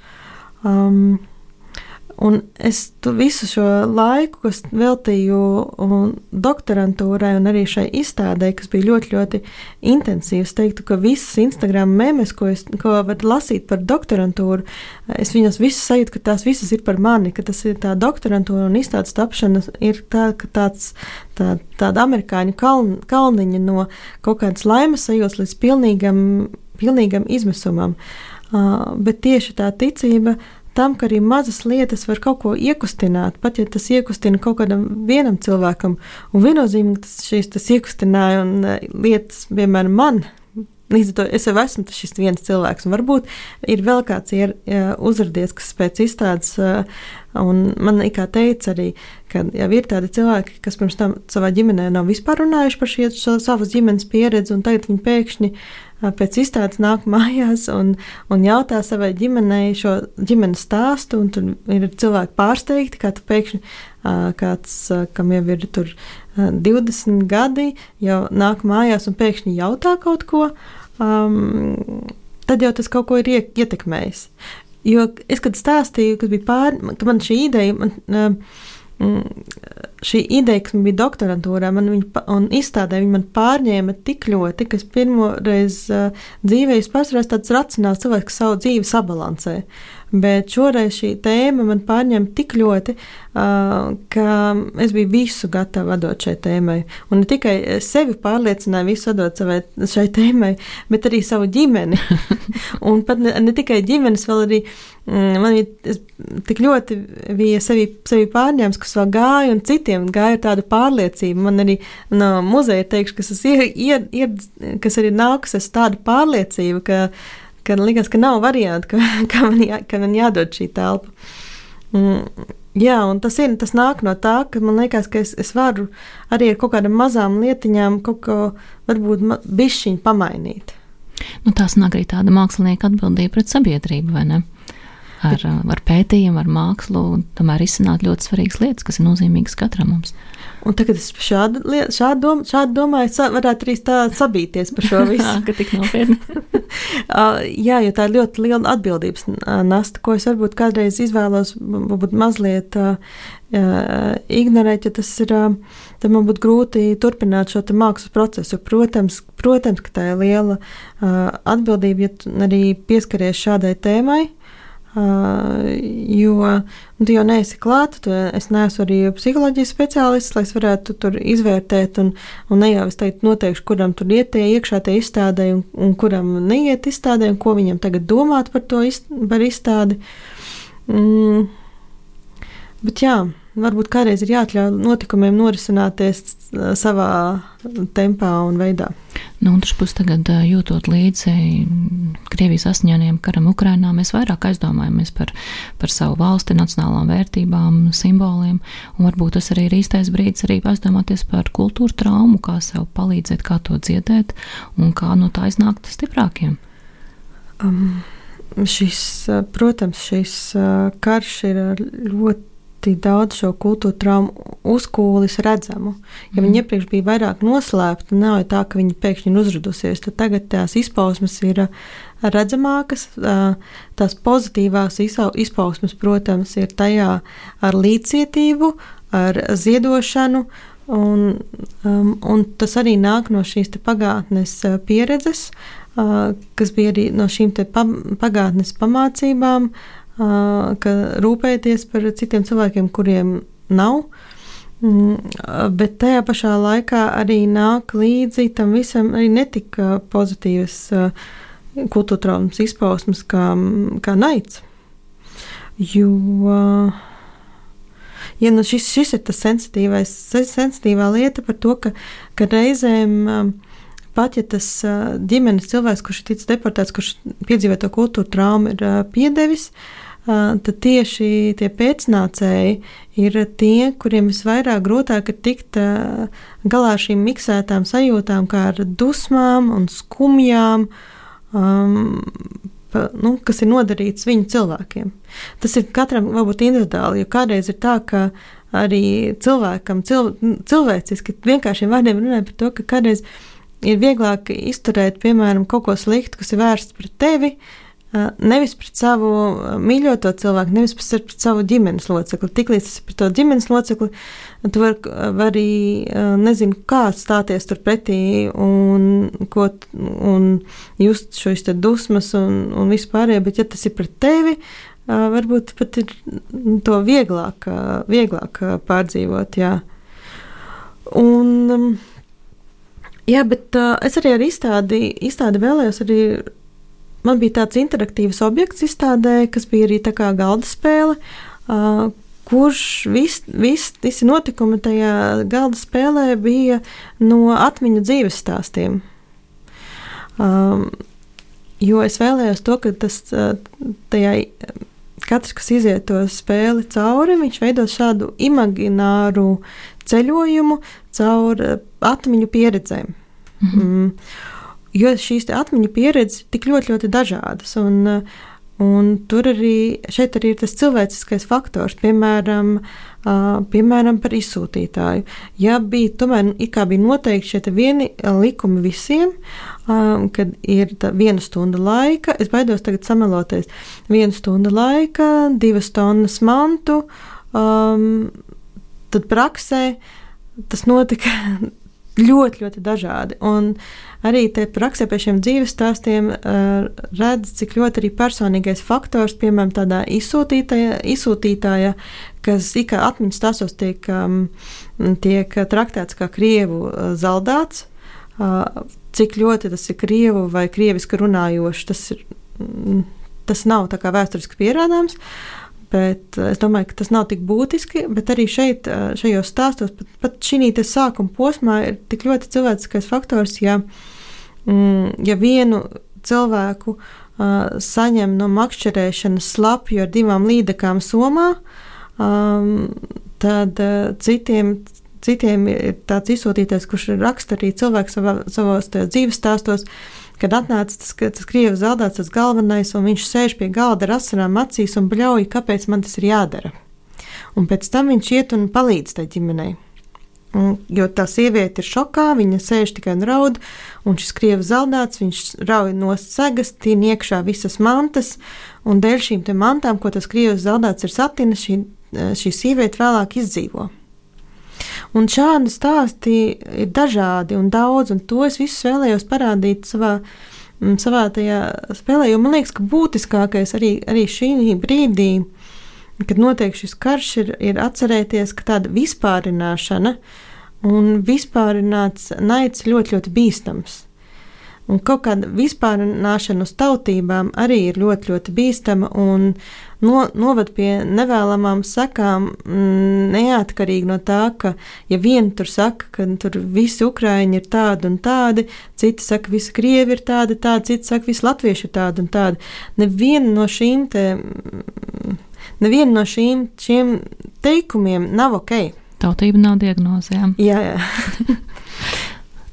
Un es visu šo laiku, kas veltīju doktorantūrai un arī šai izstādē, kas bija ļoti, ļoti intensīvs, teiktu, ka visas Instagram memes, ko var lasīt par doktorantūru, es viņas visas sajūtu, ka tās visas ir par mani, ka tas ir tā doktorantūra un izstādes tapšana ir tāda amerikāņu kalniņa no kaut kādas laimes sajūtas līdz pilnīgam izmisumam. Bet tieši tā ticība tam, ka arī mazas lietas var kaut ko iekustināt, pat ja tas iekustina kaut kādam vienam cilvēkam, un viennozīmīgi tas iekustināja un lietas, piemēram, man. Līdz ar to es jau esmu šis viens cilvēks, un varbūt ir vēl kāds uzradies, kas pēc izstādes, un man kā teica arī, ka jau ir tādi cilvēki, kas pirms tam savā ģimenē nav vispār runājuši par šo savas ģimenes pieredzi, un tagad viņi pēkšņi pēc izstādes nāk mājās un jautā savai ģimenei šo ģimenes stāstu, un tur ir cilvēki pārsteigti, kā tu pēkšņi kāds, kam jau ir tur 20 gadi, jau nāk mājās un pēkšņi jautā kaut ko, tad jau tas kaut ko ir ietekmējis. Jo es, kad stāstīju, ka man šī ideja, šī ideja, kas man bija doktorantūrā, un izstādē viņa man pārņēma tik ļoti, ka es pirmoreiz dzīvē pārsvarās tāds racionāls cilvēks, kas savu dzīvi sabalansē. Bet šoreiz šī tēma man pārņēma tik ļoti, ka es biju visu gatava atdot šai tēmai. Un ne tikai sevi pārliecināju visu atdot šai tēmai, bet arī savu ģimeni. Un pat ne tikai ģimenes, vēl arī man tik ļoti bija sevi pārņēmis, kas vēl gāja un citiem gāja tāda pārliecība. Man arī no muzeja teikšu, kas arī nākusies tāda pārliecība, ka likās, ka nav variantu, ka man jādod šī telpa. Jā, un tas nāk no tā, ka man liekas, ka es varu arī ar kaut kādām mazām lietiņām kaut ko varbūt bišķiņ pamainīt. Tās nāk arī tāda mākslinieka atbildība pret sabiedrību, vai ne? Ar pētījumu, ar mākslu, un tomēr izsināt ļoti svarīgas lietas, kas ir nozīmīgas katram mums. Un tagad es šādu domāju, varētu arī tā sabīties par šo visu. Ka tik nopietni. Jā, jo tā ir ļoti liela atbildības nasta, ko es varbūt kādreiz izvēlos, varbūt mazliet ignorēt, jo tas ir, tad man būtu grūti turpināt šo te mākslas procesu. Protams, ka tā ir liela atbildība, ja arī pieskaries šādai tēmai, jo tu jau neesi klāt, es neesmu arī psiholoģijas speciālists, lai es varētu tur izvērtēt un ne jau es teikt noteikšu, kuram tur iet iekšā tie izstādē un kuram neiet izstādē un ko viņam tagad domāt par to par izstādi. Bet jā, varbūt kādreiz ir jāatļauj notikumiem norisināties savā tempā un veidā. Un taču tagad jūtot līdzi Krievijas asiņainajam karam Ukrainā, mēs vairāk aizdomājamies par savu valsti, nacionālām vērtībām, simboliem, un varbūt tas arī ir īstais brīdis arī aizdomāties par kultūra traumu, kā sev palīdzēt, kā to dziedēt, un kā no tā iznākt stiprākiem. Protams, šis karš ir ļoti daudz šo kultūra traumu uzkūlis redzamu. Ja viņi iepriekš bija vairāk noslēpti, nav tā, ka viņi pēkšņi ir uzradusies, tad tagad tās izpausmes ir redzamākas. Tās pozitīvās izpausmes, protams, ir tajā ar līdzcietību, ar ziedošanu, un tas arī nāk no šīs te pagātnes pieredzes, kas bija arī no šīm te pagātnes pamācībām, ka rūpēties par citiem cilvēkiem, kuriem nav, bet tajā pašā laikā arī nāk līdzi tam visam arī netika pozitīvas kultūra traumas izpausmes kā naids. Jo šis ir tas sensitīvā lieta par to, ka reizēm pat, ja tas ģimenes cilvēks, kurš ir ticis deportēts, kurš piedzīvē to kultūra traumu, ir piedevis, tad tieši tie pēcnācēji ir tie, kuriem visvairāk grūtāk ir tikt galā ar šīm miksētām sajūtām, kā ar dusmām un skumjām, kas ir nodarīts viņu cilvēkiem. Tas ir katram varbūt individuāli, jo kādreiz ir tā, ka arī cilvēkam cilvēciski vienkāršiem vārdiem runāja par to, ka kādreiz ir vieglāk izturēt, piemēram, kaut ko sliktu, kas ir vērsts pret tevi, nevis pret savu mīļoto cilvēku, nevis pret savu ģimenes locekli. Tiklīdz tas ir pret to ģimenes locekli, tu vari nezinu, kā stāties tur pretī un just šos te dusmas un vispārējo, bet ja tas ir pret tevi, varbūt pat ir to vieglāk pārdzīvot, jā. Jā, bet es arī ar izstādi vēlējos arī. Man bija tāds interaktīvs objekts izstādē, kas bija arī tā kā galda spēle, kurš visi notikumi tajā galda spēlē bija no atmiņu dzīves stāstiem. Jo es vēlējos to, ka katrs, kas iziet to spēli cauri, viņš veidos šādu imagināru ceļojumu caur atmiņu pieredzēm. Jo šīs atmiņu pieredzes ir tik ļoti, ļoti dažādas, un šeit arī ir tas cilvēciskais faktors, piemēram, par izsūtītāju. Ja tomēr bija noteikti šie vieni likumi visiem, kad ir 1 stunda laika, es baidos tagad sameloties, 1 stunda laika, 2 tonnas mantu, tad praksē tas notika ļoti, ļoti dažādi. Un arī te praksē pie šiem dzīves stāstiem redz, cik ļoti arī personīgais faktors, piemēram, tādā izsūtītāja, kas ikā atmiņas stāstos tiek traktēts kā krievu zaldāts, cik ļoti tas ir krievu vai krieviski runājoši, tas nav tā kā vēsturiski pierādāms. Bet es domāju, ka tas nav tik būtiski, bet arī šajos stāstos, pat šī sākuma posmā ir tik ļoti cilvēciskais faktors, ja vienu cilvēku saņem no makšķerēšanas slapju ar 2 līdekām somā, tad citiem ir tāds izsūtītais, kurš raksta arī cilvēks savos dzīves stāstos, kad atnāca tas krievu zaldāts, tas galvenais, un viņš sēž pie galda ar asarām acīs un bļauj, kāpēc man tas ir jādara. Un pēc tam viņš iet un palīdz tai ģimenei. Jo tā sieviete ir šokā, viņa sēž tikai un raud, un šis krievu zaldāts, viņš rauj nost segas, tīn iekšā visas mantas, un dēļ šīm te mantām, ko tas krievu zaldāts ir satinis, šī sieviete vēlāk izdzīvo. Un šādi stāsti ir dažādi un daudz, un to es visus vēlējos parādīt savā tajā spēlē, jo man liekas, ka būtiskākais arī šī brīdī, kad notiek šis karš, ir atcerēties, ka tāda vispārināšana un vispārināts naids ļoti, ļoti bīstams. Un kaut kāda vispārināšana uz tautībām arī ir ļoti, ļoti bīstama un novad pie nevēlamām sekām, neatkarīgi no tā, ka, ja vieni tur saka, ka tur visi ukraiņi ir tādi un tādi, citi saka, visi krievi ir tādi, citi saka, visi latvieši ir tādi un tādi. Neviena no šiem teikumiem nav ok. Tautība nav diagnozēm. Jā.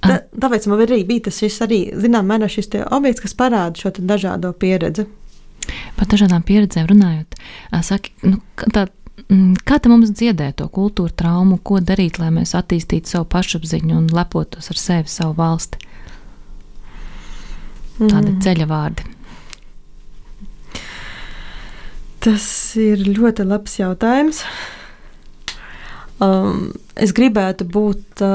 Tāpēc man arī bija šis objekts, kas parāda šo dažādo pieredzi. Par dažādām pieredzēm runājot, saki, kā te mums dziedēt to kultūra traumu, ko darīt, lai mēs attīstītu savu pašapziņu un lepotos ar sevi, savu valsti? Tādi ceļa vārdi. Tas ir ļoti labs jautājums. Es gribētu būt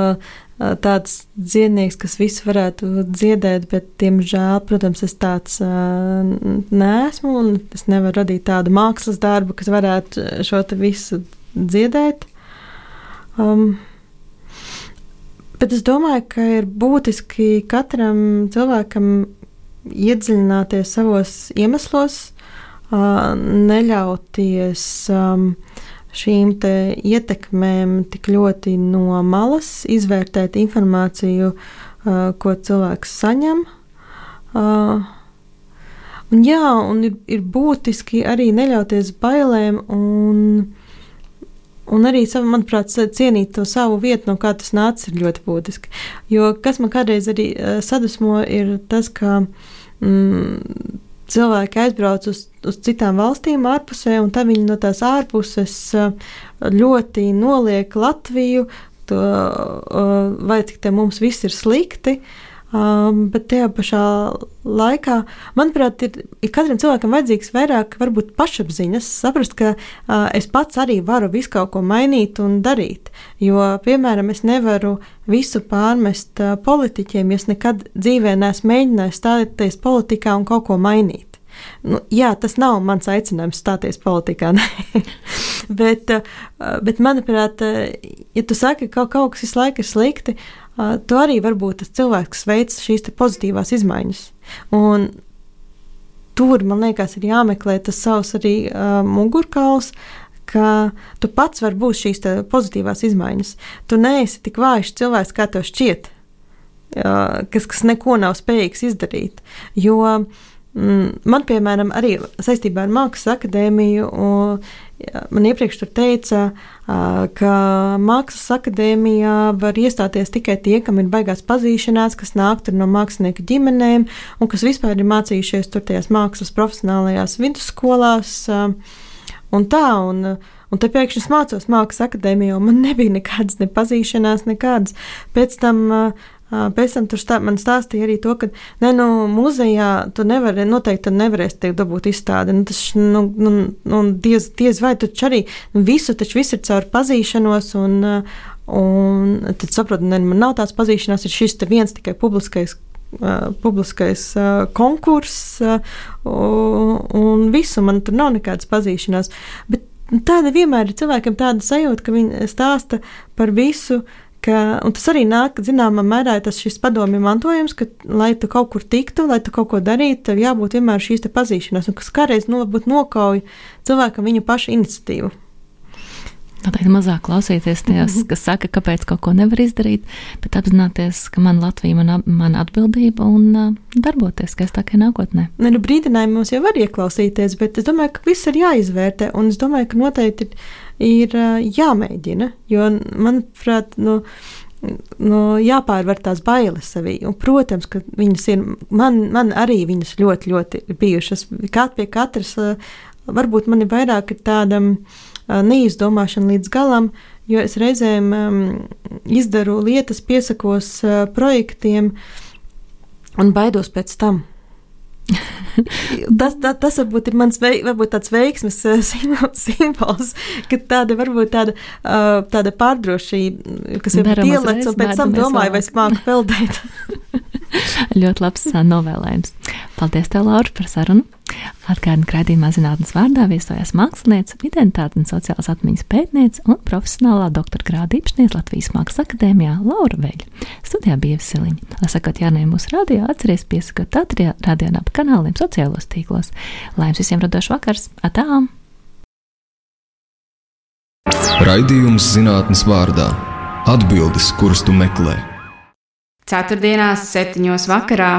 tāds dziednieks, kas visu varētu dziedēt, bet, diemžēl, protams, es tāds neesmu, un es nevaru radīt tādu mākslas darbu, kas varētu šo te visu dziedēt. Bet es domāju, ka ir būtiski katram cilvēkam iedziļināties savos iemeslos, neļauties šīm te ietekmēm tik ļoti no malas, izvērtēt informāciju, ko cilvēks saņem. Un ir būtiski arī neļauties bailēm un arī, manuprāt, cienīt to savu vietu, no kā tas nācis, ir ļoti būtiski. Jo kas man kādreiz arī sadusmo, ir tas, ka cilvēki aizbrauc uz citām valstīm ārpusē, un tā viņi no tās ārpuses ļoti noliek Latviju, vai cik te mums viss ir slikti, bet tajā pašā laikā, manuprāt, ir katram cilvēkam vajadzīgs vairāk varbūt pašapziņas, saprast, ka es pats arī varu visu kaut ko mainīt un darīt, jo, piemēram, es nevaru visu pārmest politiķiem, jo es nekad dzīvē neesmu mēģinājis stāties politikā un kaut ko mainīt. Jā, tas nav mans aicinājums stāties politikā, bet, manuprāt, ja tu saki, ka kaut kas visu laiku ir slikti, tu arī varbūt tas cilvēks, kas veic šīs te pozitīvās izmaiņas. Un tur, man liekas, ir jāmeklē tas savs arī mugurkauls, ka tu pats vari būt šīs te pozitīvās izmaiņas. Tu neesi tik vājš cilvēks, kā tev šķiet, kas neko nav spējīgs izdarīt. Jo man, piemēram, arī saistībā ar Mākslas akadēmiju, man iepriekš tur teica, ka Mākslas akadēmijā var iestāties tikai tie, kam ir baigās pazīšanās, kas nāk tur no mākslinieku ģimenēm un kas vispār ir mācījušies tur tajās mākslas profesionālajās vidusskolās un tā. Un te pēkšņi es mācos Mākslas akadēmijā, un man nebija nekādas nepazīšanās, nekādas. Pēc tam pēc tam man stāstīja arī to, ka muzejā tu noteikti nevarēsi tiek dabūt izstādi. Diez vai tu arī viss ir caur pazīšanos, un tad saprotu, man nav tāds pazīšanās, ir šis te viens tikai publiskais konkurss, un visu, man tur nav nekādas pazīšanās. Bet tāda vienmēr ir cilvēkiem tāda sajūta, ka viņi stāsta par visu, un tas arī nāk, zināmā mērā, tas šis padomju mantojums, ka, lai tu kaut kur tiktu, lai tu kaut ko darītu, tev jābūt vienmēr šīs te pazīšanās, un kas kādreiz nokauj cilvēkam viņa paša iniciatīvu. Noteikti mazāk klausīties tajās, kas saka, kāpēc kaut ko nevar izdarīt, bet apzināties, ka man Latvija, man atbildība un darboties skaistākai nākotnē. Brīdinājumi mums jau var ieklausīties, bet es domāju, ka viss ir jāizvērtē, un es domāju, ka noteikti ir jāmēģina, jo, manuprāt, jāpārvar tās bailes sevī, un, protams, ka viņas ir, man arī viņas ļoti, ļoti bijušas, pie katras, varbūt man ir vairāk ir tāda neizdomāšana līdz galam, jo es reizēm izdaru lietas, piesakos projektiem un baidos pēc tam. Tas varbūt ir mans varbūt tāds veiksmes simbols, ka tāda pārdrošība, kas ir pielec, un pēc tam domāju, vai es māku peldēt. Ļoti labs novēlējums. Paldies tev, Laura, par sarunu. Atgādinu, ka raidījumā Zinātnes vārdā viesojās māksliniece, identitātes un sociālās atmiņas pētniece un profesionālā doktora grāda īpašniece Latvijas Mākslas akadēmijā Laura Veļa. Studijā bija Ieva Siliņa. Lai sakot jārunājam mūsu radio, atceries piesakot radio un ap kanāliem sociālos tīklos. Lai jums visiem radošs vakars! Atām! Raidījums Zinātnes vārdā. Atbildes, kuras tu meklē. Ceturtdienās 7:00 vakarā